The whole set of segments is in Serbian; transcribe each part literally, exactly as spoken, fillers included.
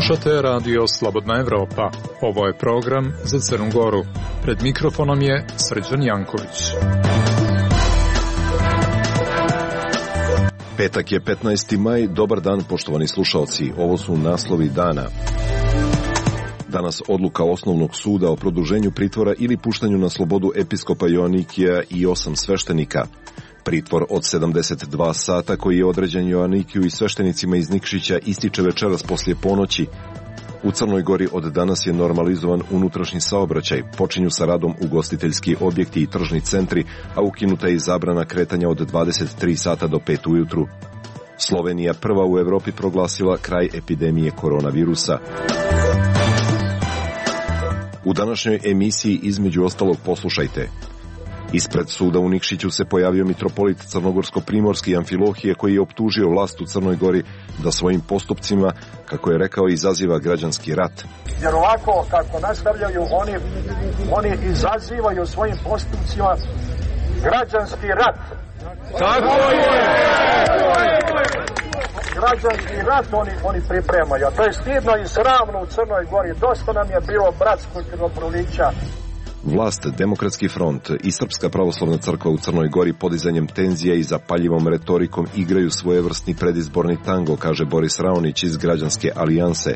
Slušate radio Slobodna Evropa. Ovo je program za Crnu Goru. Pred mikrofonom je Srđan Janković. Petak je petnaesti maj, dobar dan poštovani slušalci, ovo su naslovi dana. Danas odluka Osnovnog suda o produženju pritvora ili puštanju na slobodu episkopa Joanikija i osam sveštenika. Pritvor od sedamdeset dva sata koji je određen Joanikiju i sveštenicima iz Nikšića ističe večeras poslije ponoći. U Crnoj Gori od danas je normalizovan unutrašnji saobraćaj, počinju sa radom ugostiteljski objekti i tržni centri, a ukinuta je i zabrana kretanja od dvadeset tri sata do pet ujutru. Slovenija prva u Evropi proglasila kraj epidemije koronavirusa. U današnjoj emisiji između ostalog poslušajte. Ispred suda u Nikšiću se pojavio mitropolit crnogorsko-primorski Amfilohije koji je optužio vlast u Crnoj Gori da svojim postupcima, kako je rekao, izaziva građanski rat. Jer ovako kako nastavljaju, oni, oni izazivaju svojim postupcima građanski rat. Tako je! Građanski rat oni, oni pripremaju. To je stidno i sramno u Crnoj Gori. Dosta nam je bilo bratskog krvoprolića. Vlast, Demokratski front i Srpska pravoslavna crkva u Crnoj Gori podizanjem tenzija i zapaljivom retorikom igraju svojevrsni predizborni tango, kaže Boris Raonić iz Građanske alijanse.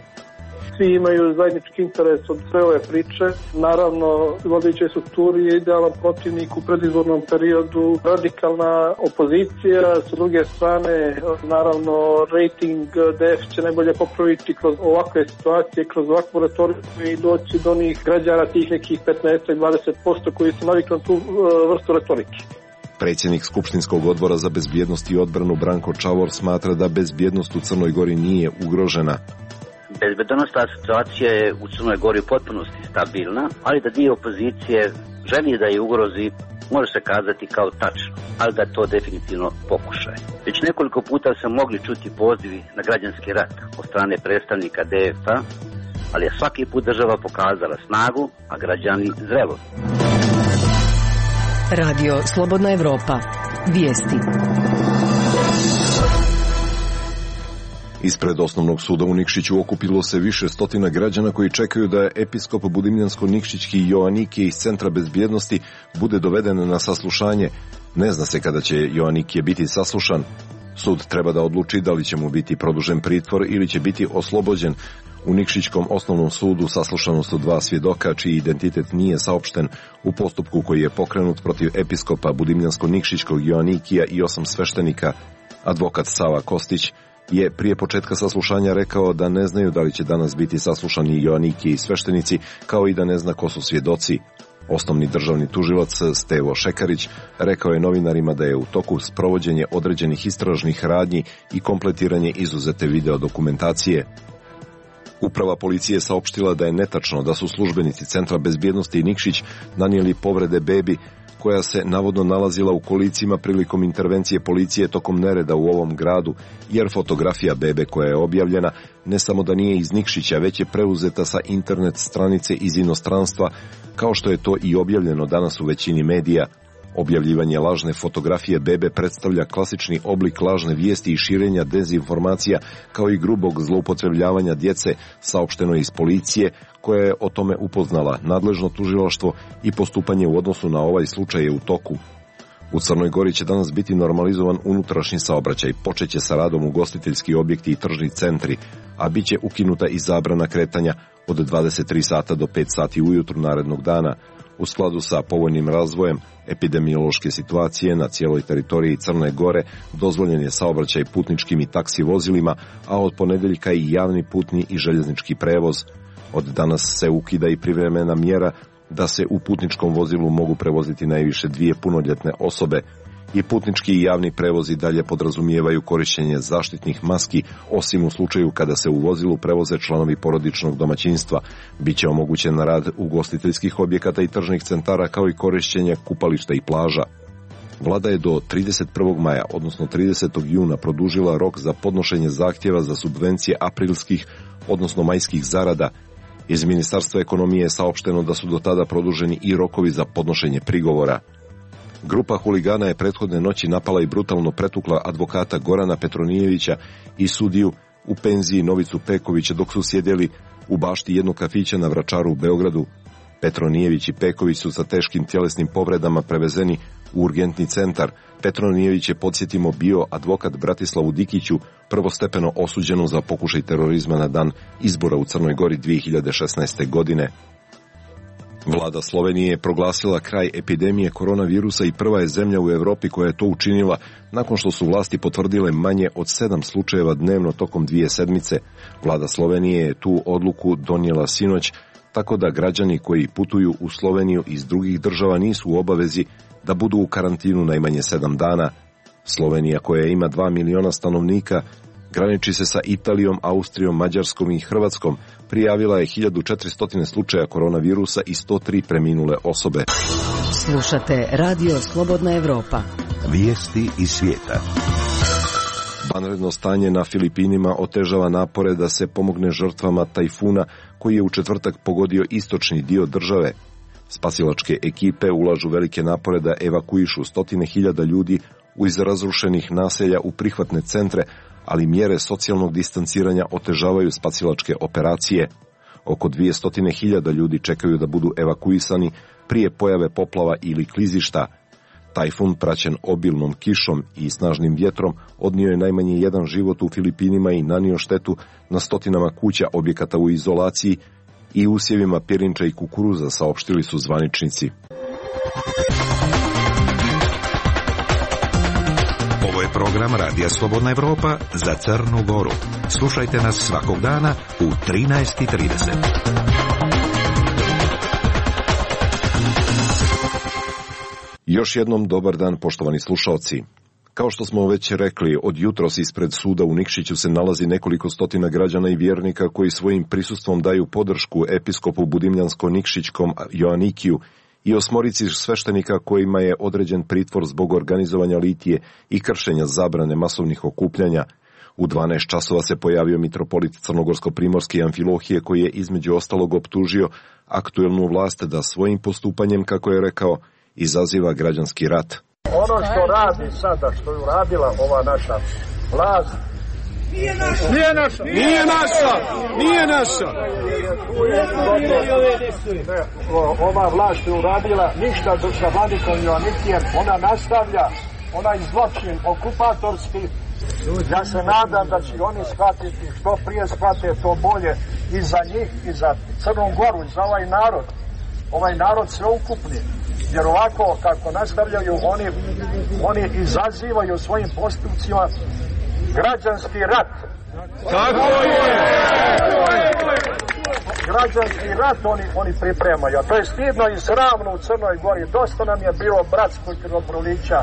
Svi imaju zajednički interes od sve ove priče. Naravno, vladajućoj strukturi je idealan protivnik u predizbornom periodu, radikalna opozicija. S druge strane, naravno, rating D F će najbolje popraviti kroz ovakve situacije, kroz ovakvu retoriku i doći do onih građana tih nekih petnaest do dvadeset posto koji su navikli na tu vrstu retorike. Predsjednik Skupštinskog odbora za bezbjednost i odbranu Branko Čavor smatra da bezbjednost u Crnoj Gori nije ugrožena. Bezbednosna situacija je u Crnoj Gori u potpunosti stabilna, ali da dio opozicije želi da je ugrozi, može se kazati kao tačno, ali da to definitivno pokušaj. Već nekoliko puta se mogli čuti pozivi na građanski rat od strane predstavnika D F A, ali je svaki put država pokazala snagu, a građani zrelost. Radio Slobodna Evropa. Vijesti. Ispred Osnovnog suda u Nikšiću okupilo se više stotina građana koji čekaju da episkop Budimljansko-Nikšićki Joanikije iz Centra bezbjednosti bude doveden na saslušanje. Ne zna se kada će Joanikije biti saslušan. Sud treba da odluči da li će mu biti produžen pritvor ili će biti oslobođen. U Nikšićkom osnovnom sudu saslušano su dva svjedoka čiji identitet nije saopšten u postupku koji je pokrenut protiv episkopa Budimljansko-Nikšićkog Joanikija i osam sveštenika. Advokat Sava Kostić je prije početka saslušanja rekao da ne znaju da li će danas biti saslušani Joanikije i sveštenici, kao i da ne zna ko su svjedoci. Osnovni državni tužilac Stevo Šekarić rekao je novinarima da je u toku sprovođenje određenih istražnih radnji i kompletiranje izuzete video dokumentacije. Uprava policije saopštila da je netačno da su službenici Centra bezbjednosti i Nikšić nanijeli povrede bebi koja se navodno nalazila u kolicima prilikom intervencije policije tokom nereda u ovom gradu, jer fotografija bebe koja je objavljena ne samo da nije iz Nikšića, već je preuzeta sa internet stranice iz inostranstva, kao što je to i objavljeno danas u većini medija. Objavljivanje lažne fotografije bebe predstavlja klasični oblik lažne vijesti i širenja dezinformacija, kao i grubog zloupotrebljavanja djece, saopšteno iz policije, koja je o tome upoznala nadležno tužilaštvo i postupanje u odnosu na ovaj slučaj je u toku. U Crnoj Gori će danas biti normalizovan unutrašnji saobraćaj, počeće sa radom ugostiteljski objekti i tržni centri, a bit će ukinuta i zabrana kretanja od dvadeset tri sata do pet sati ujutru narednog dana. U skladu sa povoljnim razvojem epidemiološke situacije na cijeloj teritoriji Crne Gore dozvoljen je saobraćaj putničkim i taksi vozilima, a od ponedeljka i javni putni i željeznički prevoz. Od danas se ukida i privremena mjera da se u putničkom vozilu mogu prevoziti najviše dvije punoljetne osobe. I putnički i javni prevozi dalje podrazumijevaju korištenje zaštitnih maski, osim u slučaju kada se u vozilu prevoze članovi porodičnog domaćinstva. Biće omogućen rad ugostiteljskih objekata i tržnih centara, kao i korištenje kupališta i plaža. Vlada je do trideset prvog maja, odnosno tridesetog juna, produžila rok za podnošenje zahtjeva za subvencije aprilskih, odnosno majskih zarada. Iz Ministarstva ekonomije je saopšteno da su do tada produženi i rokovi za podnošenje prigovora. Grupa huligana je prethodne noći napala i brutalno pretukla advokata Gorana Petronijevića i sudiju u penziji Novicu Pekovića dok su sjedjeli u bašti jednog kafića na Vračaru u Beogradu. Petronijević i Peković su sa teškim tjelesnim povredama prevezeni u urgentni centar. Petronijević je, podsjetimo, bio advokat Bratislavu Dikiću, prvostepeno osuđenu za pokušaj terorizma na dan izbora u Crnoj Gori dvije hiljade šesnaeste. godine. Vlada Slovenije je proglasila kraj epidemije koronavirusa i prva je zemlja u Europi koja je to učinila nakon što su vlasti potvrdile manje od sedam slučajeva dnevno tokom dvije sedmice. Vlada Slovenije je tu odluku donijela sinoć, tako da građani koji putuju u Sloveniju iz drugih država nisu u obavezi da budu u karantinu najmanje sedam dana. Slovenija, koja ima dva miliona stanovnika, graniči se sa Italijom, Austrijom, Mađarskom i Hrvatskom, prijavila je hiljadu četiristo slučaja koronavirusa i sto tri preminule osobe. Slušate Radio Slobodna Evropa. Vijesti iz svijeta. Vanredno stanje na Filipinima otežava napore da se pomogne žrtvama tajfuna koji je u četvrtak pogodio istočni dio države. Spasilačke ekipe ulažu velike napore da evakuišu stotine hiljada ljudi iz razrušenih naselja u prihvatne centre, ali mjere socijalnog distanciranja otežavaju spasilačke operacije. Oko dvjesto hiljada ljudi čekaju da budu evakuisani prije pojave poplava ili klizišta. Tajfun, praćen obilnom kišom i snažnim vjetrom, odnio je najmanje jedan život u Filipinima i nanio štetu na stotinama kuća, objekata u izolaciji i usjevima pirinča i kukuruza, saopštili su zvaničnici. Ovo je program Radija Slobodna Evropa za Crnu Goru. Slušajte nas svakog dana u trinaest i trideset. Još jednom dobar dan, poštovani slušalci. Kao što smo već rekli, od jutros ispred suda u Nikšiću se nalazi nekoliko stotina građana i vjernika koji svojim prisustvom daju podršku episkopu Budimljansko-Nikšićkom Joanikiju i osmorici sveštenika kojima je određen pritvor zbog organizovanja litije i kršenja zabrane masovnih okupljanja. U dvanaest časova se pojavio mitropolit Crnogorsko-Primorske Amfilohije koji je između ostalog optužio aktuelnu vlast da svojim postupanjem, kako je rekao, izaziva građanski rat. Ono što radi sada, što je uradila ova naša vlast, Nije naša! Nije naša! Nije naša! Nije naša! Ne, ova vlast je uradila ništa sa vladikom Joanikijem, ona nastavlja onaj zločin okupatorski. Ja se nadam da će oni shvatiti, što prije shvate, to bolje i za njih, i za Crnu Goru, i za ovaj narod. Ovaj narod sveukupni. Jer ovako kako nastavljaju, oni, oni izazivaju svojim postupcima građanski rat. Tako je! Građanski rat oni, oni pripremaju. A to je stidno i sramno u Crnoj Gori. Dosta nam je bilo bratskog krvoprolića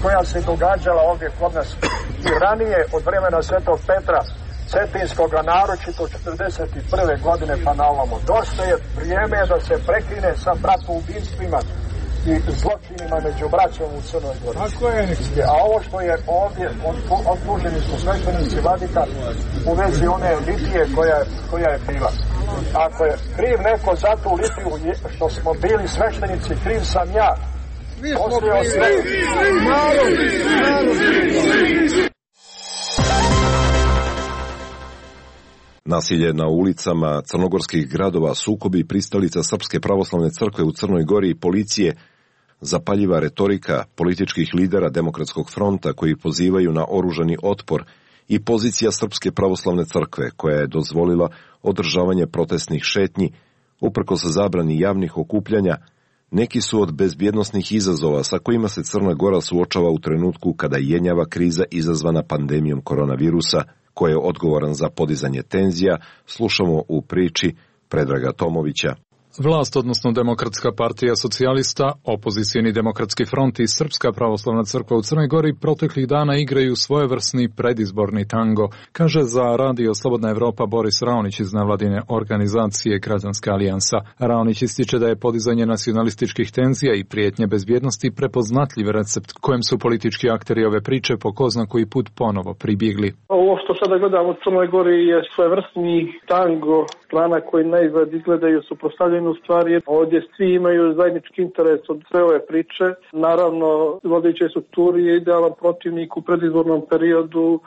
koja se događala ovdje kod nas i ranije od vremena Svetog Petra Cetinskoga, naročito četrdeset prve godine pa na ovamo. Dosta je vrijeme da se prekine sa bratoubinstvima i zločinima među braćom u Crnoj Gori. Tako je. A ovo što je ovdje, optuženi su sveštenici vladika u vezi one litije koja, koja je bila. Ako je kriv neko za tu litiju što smo bili sveštenici, kriv sam ja. Svi smo krivi. Narod, narod. Nasilje na ulicama crnogorskih gradova, sukobi pristalica Srpske pravoslavne crkve u Crnoj Gori i policije, zapaljiva retorika političkih lidera Demokratskog fronta koji pozivaju na oružani otpor i pozicija Srpske pravoslavne crkve koja je dozvolila održavanje protestnih šetnji, uprkos zabrani javnih okupljanja, neki su od bezbjednosnih izazova sa kojima se Crna Gora suočava u trenutku kada jenjava kriza izazvana pandemijom koronavirusa, ko je odgovoran za podizanje tenzija, slušamo u priči Predraga Tomovića. Vlast, odnosno Demokratska partija socijalista, opozicijni Demokratski front i Srpska pravoslavna crkva u Crnoj Gori proteklih dana igraju svojevrsni predizborni tango, kaže za Radio Slobodna Evropa Boris Raonić iz nevladine organizacije Građanska alijansa. Raonić ističe da je podizanje nacionalističkih tenzija i prijetnje bezbjednosti prepoznatljiv recept kojem su politički akteri ove priče po ko zna koji put ponovo pribjegli. Ovo što sada gledamo u Crnoj Gori je svojevrsni tango strana koji naizgled izgledaju suprotstavljeno jednu stvar, jer ovdje svi imaju zajednički interes od sve ove priče. Naravno, vodećoj strukturi je idealan protivnik u predizbornom periodu,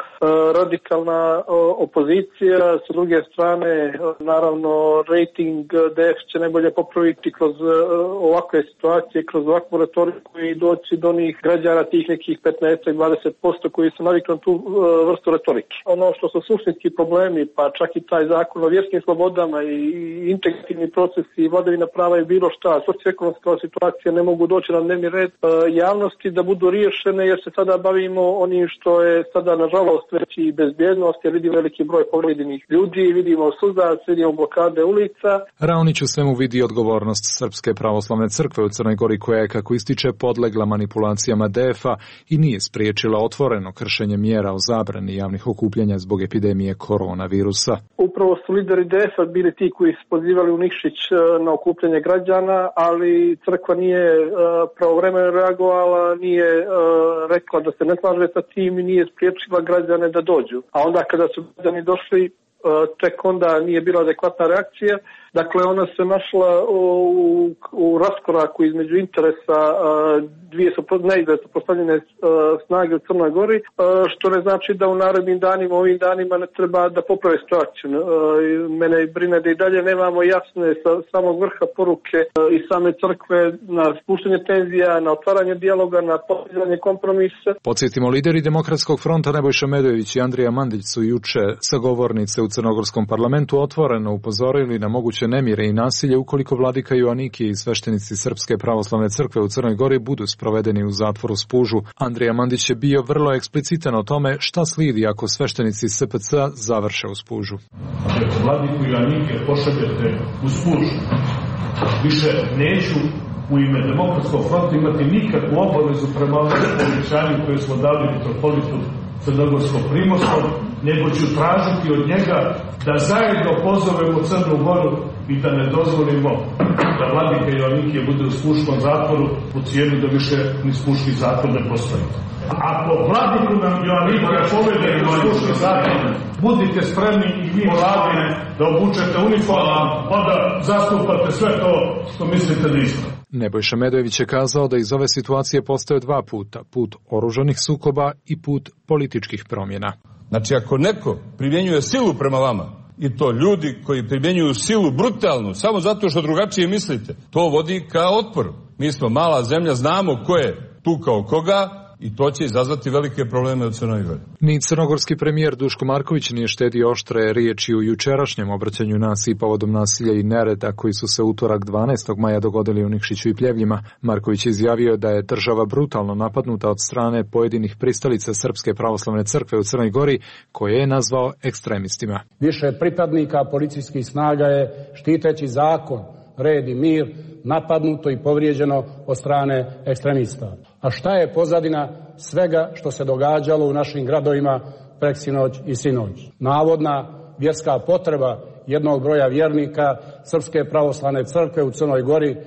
radikalna opozicija, sa druge strane, naravno, rating D F će najbolje popraviti kroz ovakve situacije, kroz ovakvu retoriku i doći do onih građana tih nekih petnaest do dvadeset posto koji su navikli na tu vrstu retorike. Ono što su suštinski problemi, pa čak i taj zakon o vjerskim slobodama i integrativni procesi i vladavina prava i bilo šta, socioekonomska situacija ne mogu doći na dnevni red javnosti da budu riješene, jer se sada bavimo onim što je sada nažalost već i bezbjednost, jer vidimo veliki broj povrijeđenih ljudi, vidimo sudac, vidimo blokade ulica. Raonić u svemu vidi odgovornost Srpske pravoslavne crkve u Crnoj Gori koja je, kako ističe, podlegla manipulacijama D F A i nije spriječila otvoreno kršenje mjera o zabrani javnih okupljanja zbog epidemije koronavirusa. Upravo su lideri D F A bili ti koji su pozivali u Nikšić na okupljanje građana, ali crkva nije pravovremeno reagovala, nije rekla da se ne slaže sa tim i nije spriječila građane da dođu. A onda kada su građani došli, tek onda nije bila adekvatna reakcija. Dakle, ona se našla u, u raskoraku između interesa dvije su neizvjesno postavljene snage u Crnoj Gori, što ne znači da u narednim danima, ovim danima ne treba da poprave situaciju. Mene brine da i dalje nemamo jasne sa samog vrha poruke i same crkve na spuštanje tenzija, na otvaranje dijaloga, na postizanje kompromisa. Podsjetimo, lideri Demokratskog fronta Nebojša Medojević i Andrija Mandić su juče sa govornice u Crnogorskom parlamentu otvoreno upozorili na moguće nemire i nasilje ukoliko vladika Joanikije i sveštenici Srpske pravoslavne crkve u Crnoj Gori budu sprovedeni u zatvoru Spužu. Andrija Mandić je bio vrlo eksplicitan o tome šta slijedi ako sveštenici S P C završe u Spužu. Ako vladiku Joanikije pošaljete u Spužu, više neću u ime Demokratskog fronta imati nikakvu obavezu prema ovom povećanju koje smo dali mitropolitu Crnogorsko-Primorskom, nego ću tražiti od njega da zajedno pozovemo Crnu Goru i da ne dozvolimo da vladika Joanikije bude u Spuškom zatvoru u cijenu da više ni Spuški zatvor ne postoji. Ako vladiku nam Joanikije povede u Spuški zatvor, budite spremni i vi vladine da obučete uniformu, pa da zastupate sve to što mislite da ispravno. Nebojša Medojević je kazao da iz ove situacije postoje dva puta, put oružanih sukoba i put političkih promjena. Znači, ako neko primjenjuje silu prema vama, i to ljudi koji primjenjuju silu brutalnu, samo zato što drugačije mislite, to vodi ka otporu. Mi smo mala zemlja, znamo ko je tukao koga, i to će izazvati velike probleme u Crnoj Gori. Ni crnogorski premijer Duško Marković nije štedio oštre riječi u jučerašnjem obraćanju naciji povodom nasilja i nereda koji su se utorak dvanaestog maja dogodili u Nikšiću i Pljevljima. Marković je izjavio da je država brutalno napadnuta od strane pojedinih pristalica Srpske pravoslavne crkve u Crnoj Gori, koje je nazvao ekstremistima. Više pripadnika policijskih snaga je, štiteći zakon, red i mir, napadnuto i povrijeđeno od strane ekstremista. A šta je pozadina svega što se događalo u našim gradovima preksinoć i sinoć? Navodna vjerska potreba jednog broja vjernika Srpske pravoslavne crkve u Crnoj Gori,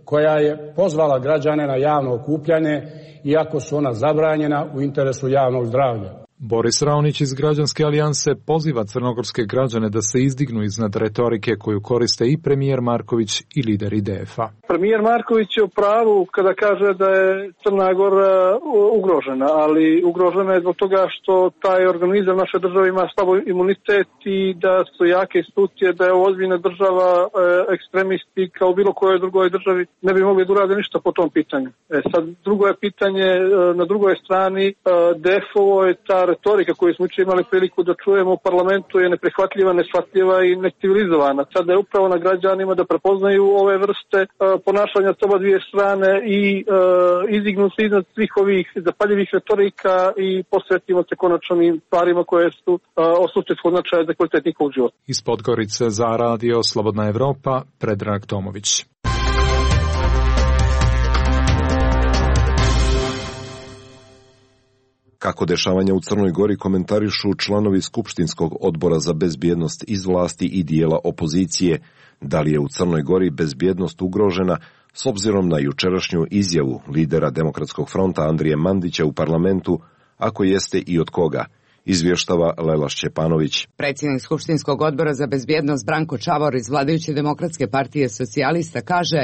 koja je pozvala građane na javno okupljanje, iako su ona zabranjena u interesu javnog zdravlja. Boris Raonić iz Građanske alijanse poziva crnogorske građane da se izdignu iznad retorike koju koriste i premijer Marković i lideri D F A. Premijer Marković je u pravu kada kaže da je Crna Gora ugrožena, ali ugrožena je zbog toga što taj organizam naše države ima slabo imunitet i da su jake institucije, da je ozbiljna država, ekstremisti kao bilo kojoj drugoj državi ne bi mogli da urade ništa po tom pitanju. E sad, drugo je pitanje, na drugoj strani D F O je ta retorika koju smo jučer imali priliku da čujemo u parlamentu je neprihvatljiva, neshvatljiva i necivilizovana. Sada je upravo na građanima da prepoznaju ove vrste uh, ponašanja s oba dvije strane i uh, izdignu se iznad svih ovih zapaljivih retorika i posvetimo se konačno im stvarima koje su uh, od suštinskog značaja za kvalitet njihovog života. Iz Podgorice za radio Slobodna Evropa, Predrag Tomović. Kako dešavanja u Crnoj Gori komentarišu članovi Skupštinskog odbora za bezbjednost iz vlasti i dijela opozicije, da li je u Crnoj Gori bezbjednost ugrožena s obzirom na jučerašnju izjavu lidera Demokratskog fronta Andrije Mandića u parlamentu, ako jeste i od koga, izvještava Lela Šćepanović. Predsjednik Skupštinskog odbora za bezbjednost Branko Čavor iz vladajuće Demokratske partije socijalista kaže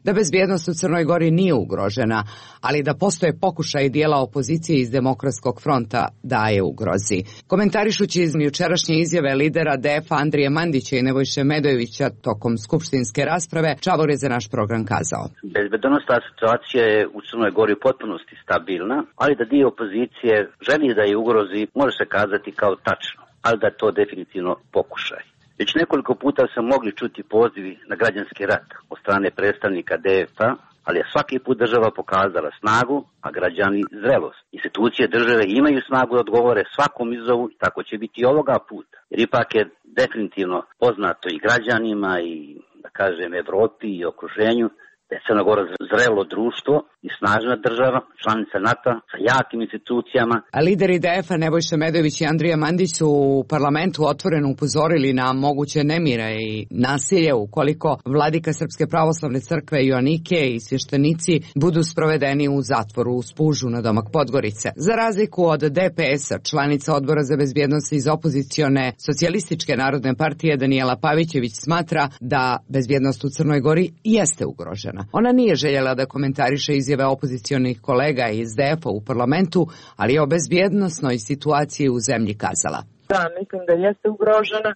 da bezbjednost u Crnoj Gori nije ugrožena, ali da postoje pokušaj dijela opozicije iz Demokratskog fronta da je ugrozi. Komentarišući iz jučerašnje izjave lidera D F-a Andrije Mandića i Nebojše Medojevića tokom skupštinske rasprave, Čavor je za naš program kazao: Bezbjednosna situacija je u Crnoj Gori u potpunosti stabilna, ali da dio opozicije želi da je ugrozi, može se kazati kao tačno, ali da to definitivno pokušaj. Već nekoliko puta sam mogli čuti pozivi na građanski rat od strane predstavnika D F-a, ali je svaki put država pokazala snagu, a građani zrelost. Institucije države imaju snagu da odgovore svakom izazovu i tako će biti i ovoga puta. Jer ipak je definitivno poznato i građanima i, da kažem, Evropi i okruženju da je Crna Gora zrelo društvo i snažna država, članica NATO sa jakim institucijama. A lideri D F-a Nebojša Medojević i Andrija Mandić su u parlamentu otvoreno upozorili na moguće nemire i nasilje ukoliko vladika Srpske pravoslavne crkve Joanike i svještenici budu sprovedeni u zatvoru u Spužu na domak Podgorice. Za razliku od D P S-a, članica odbora za bezbjednost iz opozicione socijalističke narodne partije Danijela Pavićević smatra da bezbjednost u Crnoj Gori jeste ugrožena. Ona nije željela da komentariše izjave opozicionih kolega iz D F-a u parlamentu, ali je o bezbjednosnoj situaciji u zemlji kazala: Da, mislim da jeste ugrožena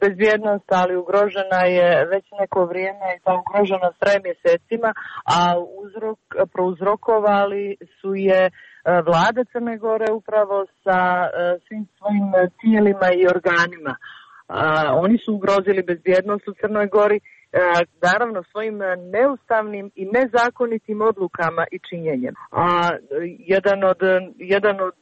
bezbjednost, ali ugrožena je već neko vrijeme i ta ugrožena traje mjesecima, a uzrok, prouzrokovali su je vlada Crne Gore upravo sa svim svojim tijelima i organima. Oni su ugrozili bezbjednost u Crnoj Gori, naravno svojim neustavnim i nezakonitim odlukama i činjenjem. A jedan od, jedan od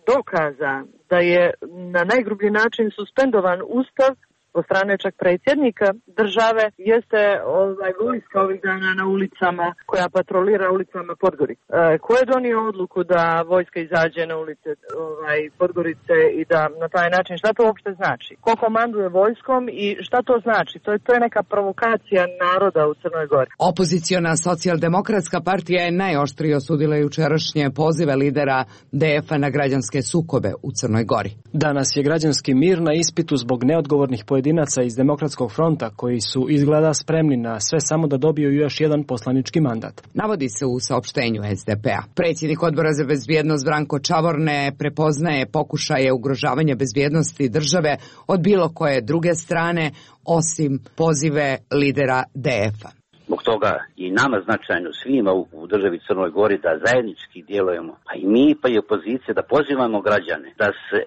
dokaza da je na najgrublji način suspendovan Ustav od strane čak predsjednika države jeste ovaj vojska ovih dana na ulicama, koja patrolira ulicama Podgorice. E, ko je donio odluku da vojska izađe na ulice ovaj, Podgorice i da na taj način, šta to uopšte znači? Ko komanduje vojskom i šta to znači? To je, to je neka provokacija naroda u Crnoj Gori. Opoziciona socijaldemokratska partija je najoštrije osudila jučerašnje pozive lidera D F-a na građanske sukobe u Crnoj Gori. Danas je građanski mir na ispitu zbog neodgovornih pojedinaca iz Demokratskog fronta koji su izgleda spremni na sve samo da dobiju još jedan poslanički mandat. Navodi se u saopštenju S D P-a. Predsjednik odbora za bezbjednost Branko Čavor ne prepoznaje pokušaje ugrožavanja bezbjednosti države od bilo koje druge strane osim pozive lidera D F-a. Zbog toga i nama značajno svima u državi Crnoj Gori da zajednički djelujemo, a i mi pa i opozicija da pozivamo građane da se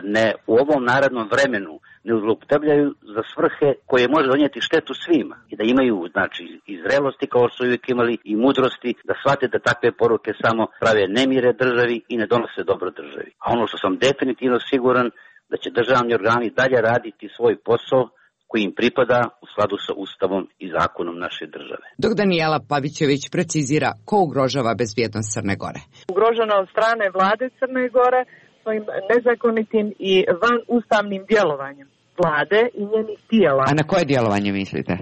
ne u ovom narednom vremenu ne zloupotrebljavaju za svrhe koje može donijeti štetu svima i da imaju znači i zrelosti kao što su uvijek imali i mudrosti da shvate da takve poruke samo prave nemire državi i ne donose dobro državi. A ono što sam definitivno siguran da će državni organi dalje raditi svoj posao koji im pripada u skladu sa Ustavom i zakonom naše države. Dok Danijela Pavićević precizira ko ugrožava bezbjednost Crne Gore. Ugrožena od strane vlade Crne Gore svojim nezakonitim i van ustavnim djelovanjem vlade i njenih tijela. A na koje djelovanje mislite?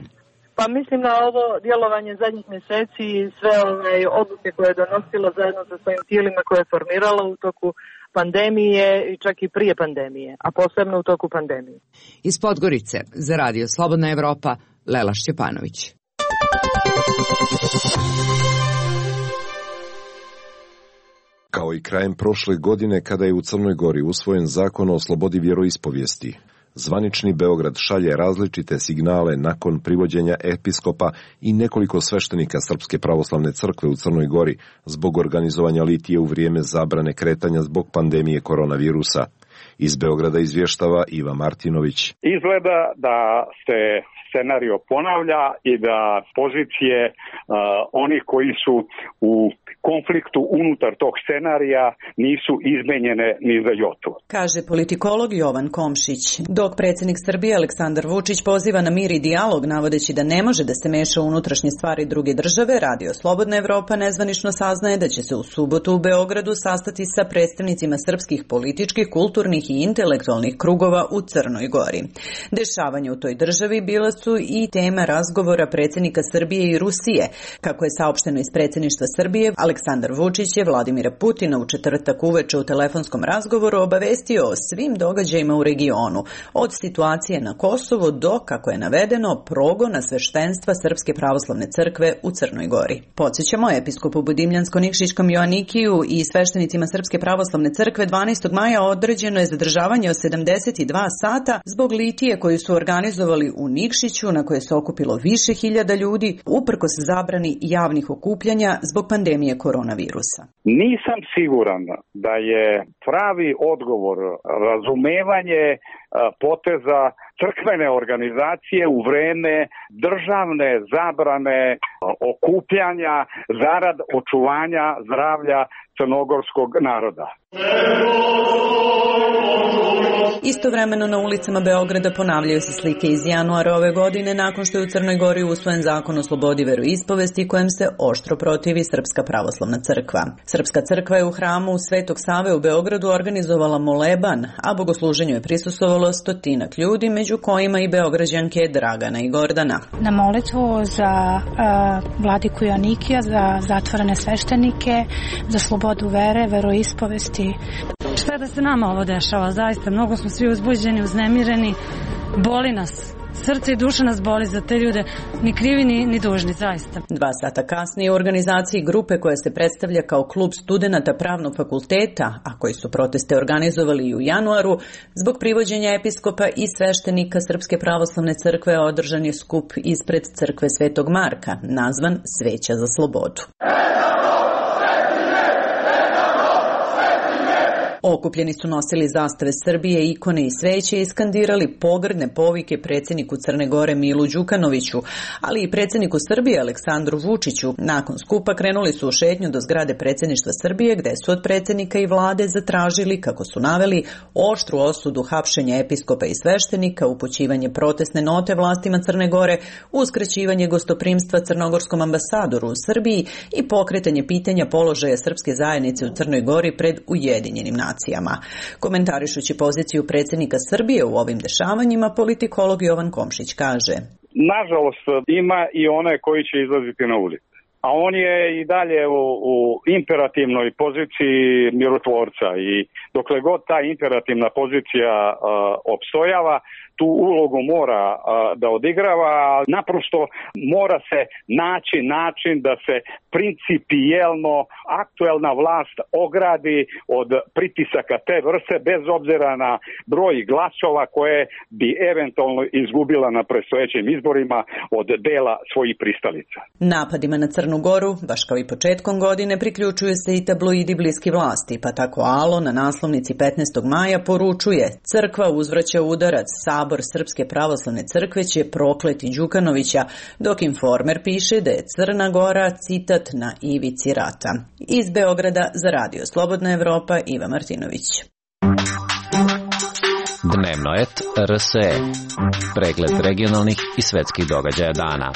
Pa mislim na ovo djelovanje zadnjih mjeseci i sve ove odluke koje je donosilo zajedno sa svojim tijelima koje je formiralo u toku pandemije i čak i prije pandemije, a posebno u toku pandemije. Iz Podgorice za Radio Slobodna Evropa, Lela Šćepanović. Kao i krajem prošle godine kada je u Crnoj Gori usvojen zakon o slobodi vjeroispovijesti, zvanični Beograd šalje različite signale nakon privođenja episkopa i nekoliko sveštenika Srpske pravoslavne crkve u Crnoj Gori zbog organizovanja litije u vrijeme zabrane kretanja zbog pandemije koronavirusa. Iz Beograda izvještava Iva Martinović. Izgleda da se scenario ponavlja i da pozicije uh, onih koji su u konfliktu unutar tog scenarija nisu izmenjene ni za jotu. Kaže politikolog Jovan Komšić. Dok predsjednik Srbije Aleksandar Vučić poziva na mir i dijalog navodeći da ne može da se meša u unutrašnje stvari druge države, Radio Slobodna Evropa nezvanično saznaje da će se u subotu u Beogradu sastati sa predstavnicima srpskih političkih, kulturnih i intelektualnih krugova u Crnoj Gori. Dešavanja u toj državi bila su i tema razgovora predsjednika Srbije i Rusije. Kako je saopšteno iz predsjedništva Srbije, Aleksandar Vučić je Vladimira Putina u četvrtak uveče u telefonskom razgovoru obavestio o svim događajima u regionu, od situacije na Kosovu do, kako je navedeno, progona sveštenstva Srpske pravoslavne crkve u Crnoj Gori. Podsjećamo, episkopu Budimljansko-Nikšićkom Joanikiju i sveštenicima Srpske pravoslavne crkve dvanaestog maja određeno je zadržavanje od sedamdeset dva sata zbog litije koju su organizovali u Nikšiću, na koje se okupilo više hiljada ljudi, uprkos zabrani javnih okupljanja zbog pandemije koronavirusa. Nisam siguran da je pravi odgovor razumevanje poteza crkvene organizacije u vreme državne zabrane okupljanja zarad očuvanja zdravlja crnogorskog naroda. Istovremeno na ulicama Beograda ponavljaju se slike iz januara ove godine nakon što je u Crnoj Gori usvojen zakon o slobodi veroispovesti kojem se oštro protivi Srpska pravoslavna crkva. Srpska crkva je u hramu Svetog Save u Beogradu organizovala moleban, a bogosluženju je prisustvovalo stotinak ljudi, među kojima i Beograđanke Dragana i Gordana. Na molitvu za uh, vladiku Joanikija, za zatvorene sveštenike, za slobodu vere, veroispovesti. Šta da se nama ovo dešava? Zaista, mnogo smo svi uzbuđeni, uznemireni, boli nas. Srce i duša nas boli za te ljude, ni krivi ni, ni dužni, zaista. Dva sata kasnije u organizaciji grupe koja se predstavlja kao klub studenata pravnog fakulteta, a koji su proteste organizovali i u januaru, zbog privođenja episkopa i sveštenika Srpske pravoslavne crkve održan je skup ispred crkve Svetog Marka, nazvan Sveća za slobodu. Okupljeni su nosili zastave Srbije, ikone i sveće i skandirali pogrdne povike predsjedniku Crne Gore Milu Đukanoviću, ali i predsjedniku Srbije Aleksandru Vučiću. Nakon skupa krenuli su u šetnju do zgrade predsjedništva Srbije, gde su od predsjednika i vlade zatražili, kako su naveli, oštru osudu hapšenja episkopa i sveštenika, upućivanje protestne note vlastima Crne Gore, uskraćivanje gostoprimstva crnogorskom ambasadoru u Srbiji i pokretanje pitanja položaja srpske zajednice u Crnoj Gori pred Ujedinjenim nacijama. Komentarišući poziciju predsjednika Srbije u ovim dešavanjima, politikolog Jovan Komšić kaže: Nažalost, ima i one koji će izlaziti na ulicu. A on je i dalje u, u imperativnoj poziciji mirotvorca i dokle god ta imperativna pozicija uh, opstojava, tu ulogu mora uh, da odigrava, naprosto mora se naći način da se principijelno aktuelna vlast ogradi od pritisaka te vrste bez obzira na broj glasova koje bi eventualno izgubila na predstojećim izborima od dela svojih pristalica. Napadima na Crnu Goru, baš kao i početkom godine, priključuju se i tabloidi bliski vlasti, pa tako Alo na naslovnici petnaestog maja poručuje: Crkva uzvraća udarac, Sabor Srpske pravoslavne crkve će prokleti Đukanovića, dok Informer piše da je Crna Gora, citat, na ivici rata. Iz Beograda za Radio Slobodna Evropa, Iva Martinović. Dnevno et R S E. Pregled regionalnih i svetskih događaja dana.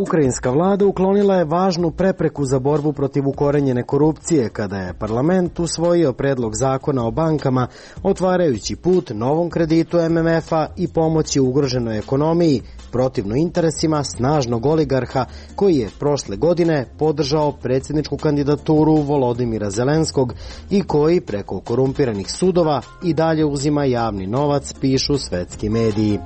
Ukrajinska vlada uklonila je važnu prepreku za borbu protiv ukorenjene korupcije kada je parlament usvojio predlog zakona o bankama, otvarajući put novom kreditu M M F-a i pomoći ugroženoj ekonomiji, protivno interesima snažnog oligarha koji je prošle godine podržao predsjedničku kandidaturu Volodimira Zelenskog i koji preko korumpiranih sudova i dalje uzima javni novac, pišu svetski mediji.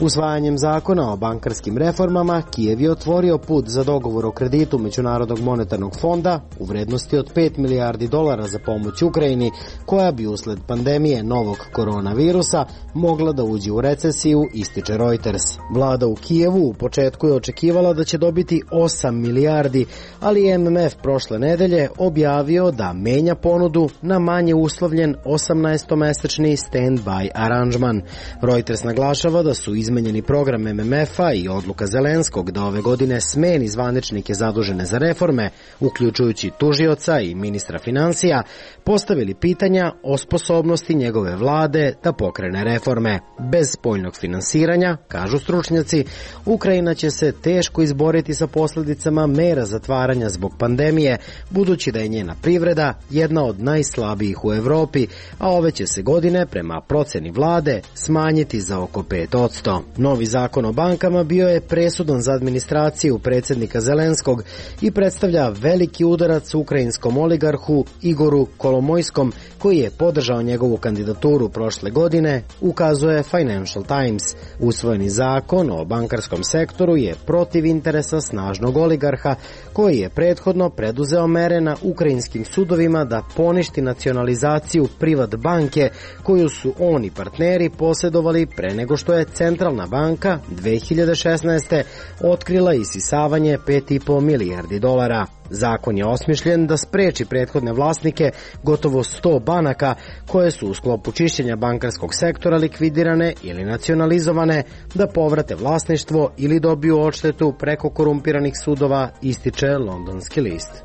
Usvajanjem zakona o bankarskim reformama Kijev je otvorio put za dogovor o kreditu Međunarodnog monetarnog fonda u vrednosti od pet milijardi dolara za pomoć Ukrajini, koja bi usled pandemije novog koronavirusa mogla da uđe u recesiju, ističe Reuters. Vlada u Kijevu u početku je očekivala da će dobiti osam milijardi, ali M M F prošle nedelje objavio da menja ponudu na manje uslovljen osamnaestomesečni stand-by aranžman. Reuters naglašava da su izmenjeni program M M F-a i odluka Zelenskog da ove godine skupštine smeni zvaničnike zadužene za reforme, uključujući tužioca i ministra financija, postavili pitanja o sposobnosti njegove vlade da pokrene reforme. Bez spoljnog finansiranja, kažu stručnjaci, Ukrajina će se teško izboriti sa posljedicama mera zatvaranja zbog pandemije, budući da je njena privreda jedna od najslabijih u Evropi, a ove će se godine, prema proceni vlade, smanjiti za oko pet posto. Novi zakon o bankama bio je presudan za administraciju predsjednika Zelenskog i predstavlja veliki udarac ukrajinskom oligarhu Igoru Kolomojskom, koji je podržao njegovu kandidaturu prošle godine, ukazuje Financial Times. Usvojeni zakon o bankarskom sektoru je protiv interesa snažnog oligarha, koji je prethodno preduzeo mere na ukrajinskim sudovima da poništi nacionalizaciju Privat banke, koju su oni partneri posjedovali pre nego što je Centralna banka dve hiljade šesnaeste. otkrila isisavanje pet i po milijardi dolara. Zakon je osmišljen da spreči prethodne vlasnike gotovo sto banaka koje su u sklopu čišćenja bankarskog sektora likvidirane ili nacionalizovane, da povrate vlasništvo ili dobiju odštetu preko korumpiranih sudova, ističe Londonski list.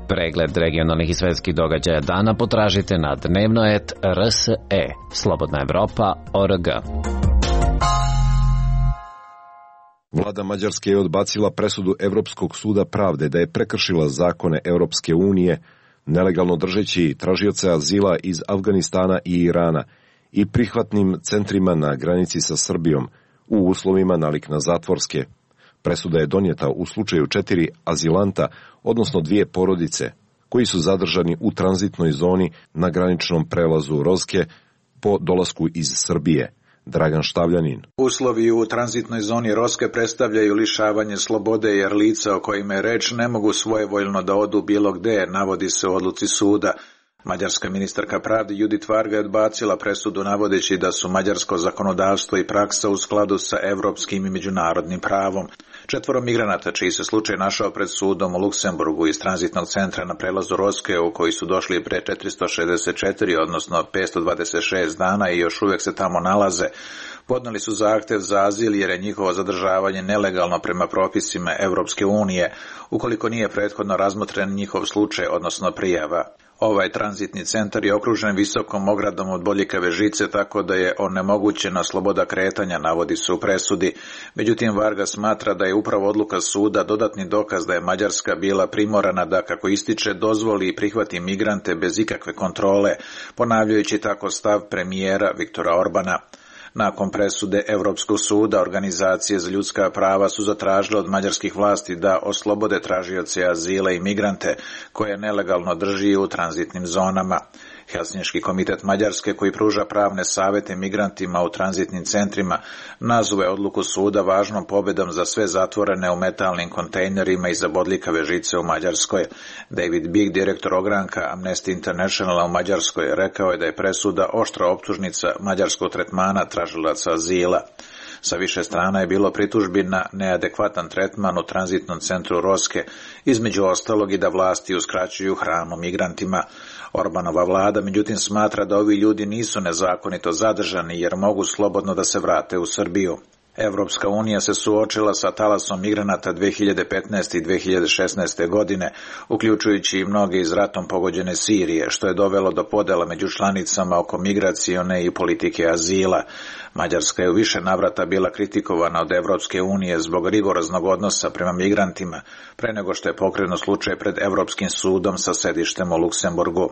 Pregled regionalnih i svetskih događaja dana potražite na dnevno et er es e, slobodna evropa tačka org. Vlada Mađarske je odbacila presudu Evropskog suda pravde da je prekršila zakone Europske unije, nelegalno držeći tražioce azila iz Afganistana i Irana i prihvatnim centrima na granici sa Srbijom u uslovima nalik na zatvorske. Presuda je donijeta u slučaju četiri azilanta, odnosno dvije porodice, koji su zadržani u tranzitnoj zoni na graničnom prelazu Rozke po dolasku iz Srbije. Dragan Štavljanin. Uslovi u tranzitnoj zoni Roske predstavljaju lišavanje slobode jer lica o kojima je reč ne mogu svojevoljno da odu bilo gde, navodi se u odluci suda. Mađarska ministarka pravde Judit Varga je odbacila presudu navodeći da su mađarsko zakonodavstvo i praksa u skladu sa evropskim i međunarodnim pravom. Četvoro migranata čiji se slučaj našao pred sudom u Luksemburgu iz tranzitnog centra na prelazu Roske, u koji su došli pre četiristo šezdeset četiri, odnosno petsto dvadeset šest dana i još uvijek se tamo nalaze, podneli su zahtev za azil jer je njihovo zadržavanje nelegalno prema propisima Evropske unije, ukoliko nije prethodno razmotren njihov slučaj, odnosno prijava. Ovaj tranzitni centar je okružen visokom ogradom od boljikave žice, tako da je onemogućena sloboda kretanja, navodi se u presudi. Međutim, Varga smatra da je upravo odluka suda dodatni dokaz da je Mađarska bila primorana da, kako ističe, dozvoli i prihvati migrante bez ikakve kontrole, ponavljajući tako stav premijera Viktora Orbana. Nakon presude Evropskog suda, organizacije za ljudska prava su zatražile od mađarskih vlasti da oslobode tražioce azila i migrante koje nelegalno drži u tranzitnim zonama. Helsinški komitet Mađarske, koji pruža pravne savete migrantima u tranzitnim centrima, nazove odluku suda važnom pobedom za sve zatvorene u metalnim kontejnerima i za bodljikave žice u Mađarskoj. David Big, direktor ogranka Amnesty Internationala u Mađarskoj, rekao je da je presuda oštra optužnica mađarskog tretmana tražilaca azila. Sa više strana je bilo pritužbi na neadekvatan tretman u tranzitnom centru Roske, između ostalog i da vlasti uskraćuju hranu migrantima. Orbanova vlada međutim smatra da ovi ljudi nisu nezakonito zadržani jer mogu slobodno da se vrate u Srbiju. Evropska unija se suočila sa talasom migranata dve hiljade petnaeste i dve hiljade šesnaeste. godine, uključujući i mnoge iz ratom pogođene Sirije, što je dovelo do podela među članicama oko migracione i politike azila. Mađarska je u više navrata bila kritikovana od Evropske unije zbog rigoroznog odnosa prema migrantima, pre nego što je pokrenut slučaj pred Evropskim sudom sa sedištem u Luksemburgu.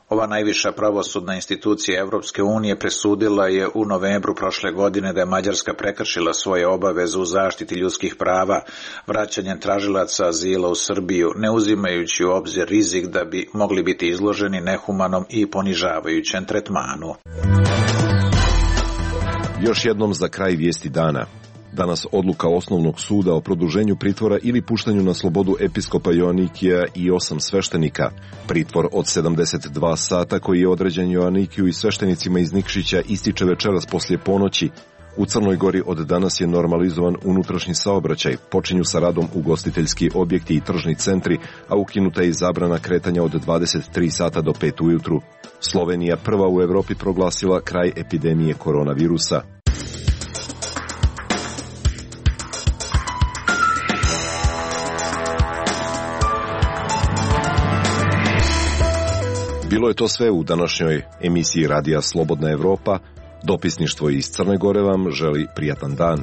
Ova najviša pravosudna institucija Evropske unije presudila je u novembru prošle godine da je Mađarska prekršila svoje obaveze u zaštiti ljudskih prava, vraćanjem tražilaca azila u Srbiju, ne uzimajući u obzir rizik da bi mogli biti izloženi nehumanom i ponižavajućem tretmanu. Još jednom za kraj vijesti dana. Danas odluka Osnovnog suda o produženju pritvora ili puštanju na slobodu episkopa Joanikija i osam sveštenika. Pritvor od sedamdeset dva sata koji je određen Joanikiju i sveštenicima iz Nikšića ističe večeras poslije ponoći. U Crnoj Gori od danas je normalizovan unutrašnji saobraćaj, počinju sa radom ugostiteljski objekti i tržni centri, a ukinuta je i zabrana kretanja od dvadeset tri sata do pet ujutru. Slovenija prva u Evropi proglasila kraj epidemije koronavirusa. bilo je to sve u današnjoj emisiji Radija Slobodna Evropa. Dopisništvo iz Crne Gore vam želi prijatan dan.